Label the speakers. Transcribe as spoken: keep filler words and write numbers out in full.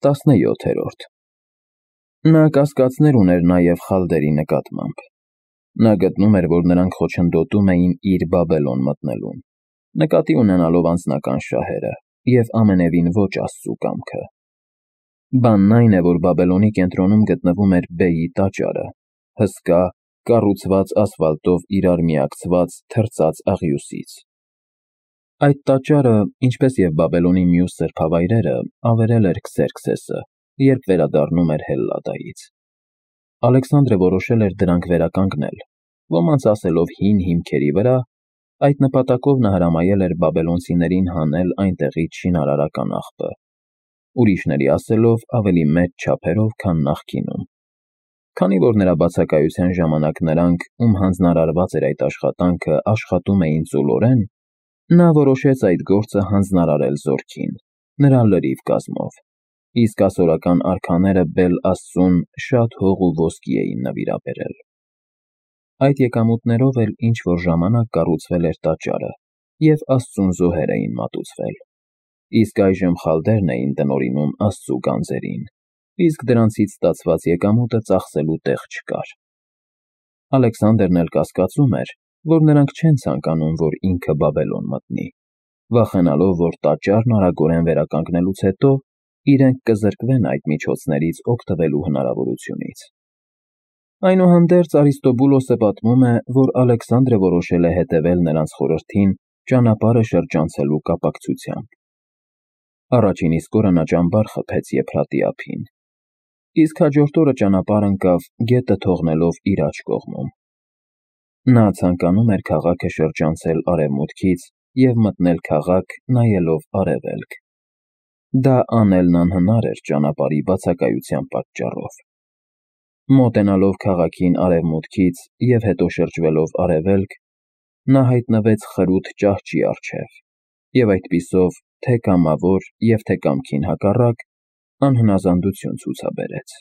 Speaker 1: տասնյոթերորդ Նա կասկածներ ուներ նաև խալդերի նկատմամբ. նա գտնում էր, որ նրանք խոչընդոտում էին իր Բաբելոն մտնելուն, նկատի ունենալով անձնական շահերը և ամենևին ոչ Աստծու կամքը։ Բանն այն է, որ Բաբելոնի կենտրոնում գտնվում էր Բեի տաճարը, հսկա, կառուցված ասֆալտով իրար միակցված թրծած աղյուսից։ Այդ տաճարը, ինչպես և Բաբելոնի մյուս սրբավայրերը, ավերել էր Քսերքսեսը, երբ վերադառնում էր Հելլադայից։ Ալեքսանդրը որոշել էր դրանք վերականգնել, ոմանց ասելով հին հիմքերի վրա, այդ նպատակով նա հրամայել էր բաբելոնցիներին հանել այնտեղից շինարարական աղբը, ուրիշների ասելով ավելի մեծ չափերով, քան նախկինում։ Քանի որ նրա բացակայության ժամանակ նրանք, ում հանձնարարված էր այդ աշխատանքը, աշխատում էին ծուլորեն, նա որոշեց այդ գործը հանձնարարել զորքին, նրա լրիվ կազմով, իսկ ասորական արքաները Բել֊Աստծուն շատ հող ու ոսկի էին նվիրաբերել։ Այդ եկամուտներով էլ ինչ-որ ժամանակ կառուցվել էր տաճարը, և Աստծուն զոհեր էին մատուցվել, իսկ այժմ խալդերն էին տնօրինում Աստծու գանձերին, իսկ դրանցից ստացված եկամուտը ծախսելու տեղ չկար։ Ալեքսանդրն էլ կասկածում էր, որ նրանք չեն ցանկանում, որ ինքը Բաբելոն մտնի, վախենալով, որ տաճարն արագորեն վերականգնելուց հետո իրենք կզրկվեն այդ միջոցներից օգտվելու հնարավորությունից։ Այնուհանդերձ Արիստոբուլոսը պատմում է, որ Ալեքսանդրը որոշել է հետևել նրանց խորհրդին ճանապարհը շրջանցելու կապակցությամբ։ Առաջին իսկ օրը նա ճամբար խփեց Եփրատի ափին, իսկ հաջորդ օրը ճանապարհ ընկավ գետը թողնելով իր աջ կողմում։ Նա ցանկանում էր քաղաքը շրջանցել արևմուտքից և մտնել քաղաք նայելով արևելք։ Դա անելն անհնար էր ճանապարհի բացակայության պատճառով։ Մոտենալով քաղաքին արևմուտքից և հետո շրջվելով արևելք, նա հայտնվեց խրութ ճահճի առջև և այդպիսով թե կամավոր և թե կամքին հակառակ անհնազանդություն ցուցաբերեց։